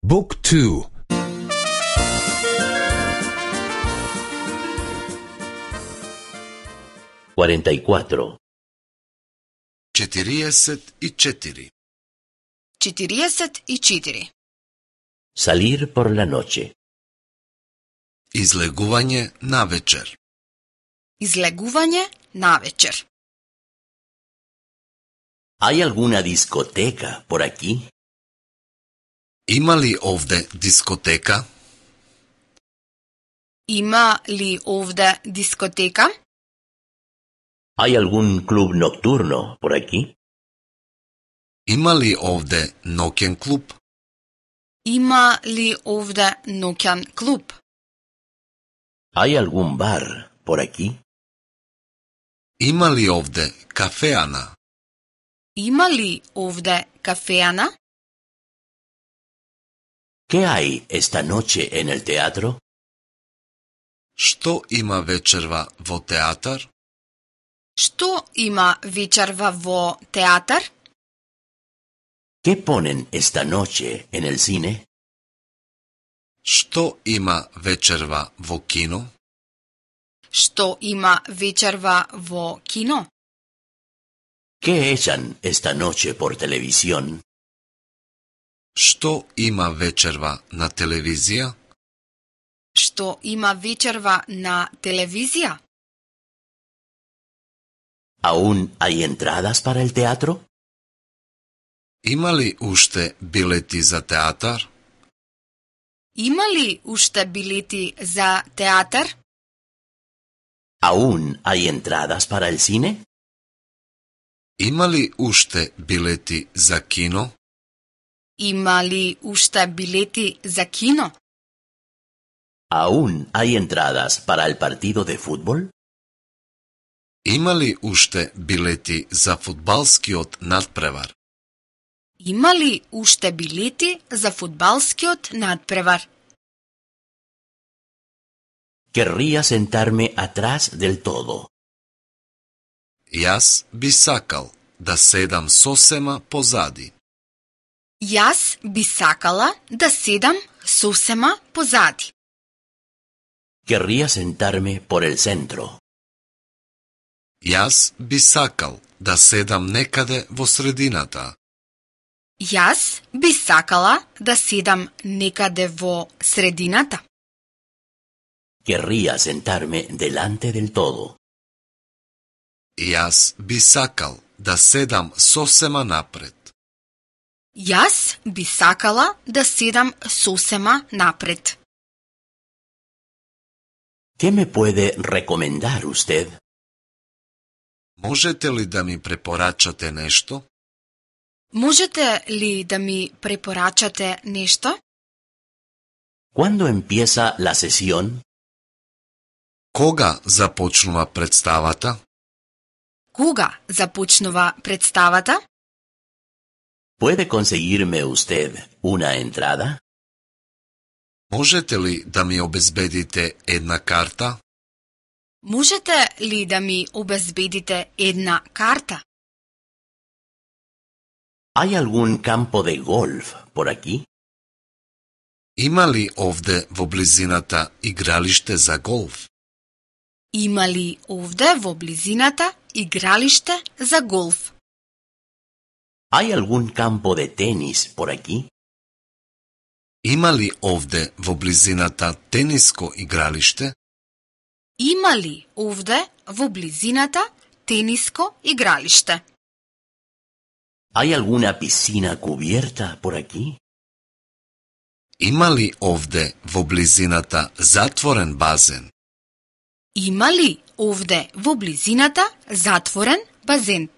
Book 2. 44. 44. 44. Salir por la noche. Излегување навечер. Излегување навечер. ¿Hay alguna discoteca por aquí? Има ли овде дискотека? Има ли овде дискотека? ¿Hay algún club nocturno por aquí? Има ли овде ноќен клуб? Има ли овде ноќен клуб? ¿Hay algún bar por aquí? Има ли овде кафеана? Има ли овде кафеана? ¿Qué hay esta noche en el teatro? Што има вечерва во театар? Што има вечерва во театар? ¿Qué ponen esta noche en el cine? Што има вечерва во кино? Што има вечерва во кино? ¿Qué echan esta noche por televisión? Што има вечерва на телевизија? Што има вечерва на телевизија? ¿Aún hay entradas para el teatro? Има ли уште билети за театар? Има ли уште билети за театар? ¿Aún hay entradas para el cine? Има ли уште билети за кино? Има ли уште билети за кино? ¿Aún hay entradas para el partido de fútbol? Има ли уште билети за фудбалскиот надпревар? Има ли уште билети за фудбалскиот надпревар? Querría sentarme atrás del todo. Јас би сакал да седам сосема позади. Јас би сакала да седам сосема позади. Querría sentarme por el centro. Јас би сакал да седам некаде во средината. Јас би сакала да седам некаде во средината. Querría sentarme delante del todo. Јас би сакал да седам сосема напред. Јас би сакала да седам сосема напред. ¿Qué me puede recomendar usted? Можете ли да ми препорачате нешто? Можете ли да ми препорачате нешто? ¿Cuándo empieza la sesión? Кога започнува представата? Кога започнува представата? ¿Puede conseguirme usted una entrada? Можете ли да ми обезбедите една карта? Можете ли да ми обезбедите една карта? ¿Hay algún campo de golf por aquí? Има ли овде во близината игралиште за голф? Има ли овде во близината игралиште за голф? ¿Hay algún campo de tenis por aquí? Има ли овде во близината тениско игралиште? Има ли овде во близината тениско игралиште? ¿Hay alguna piscina cubierta por aquí? Има ли овде во близината затворен базен? Има ли овде во близината затворен базен?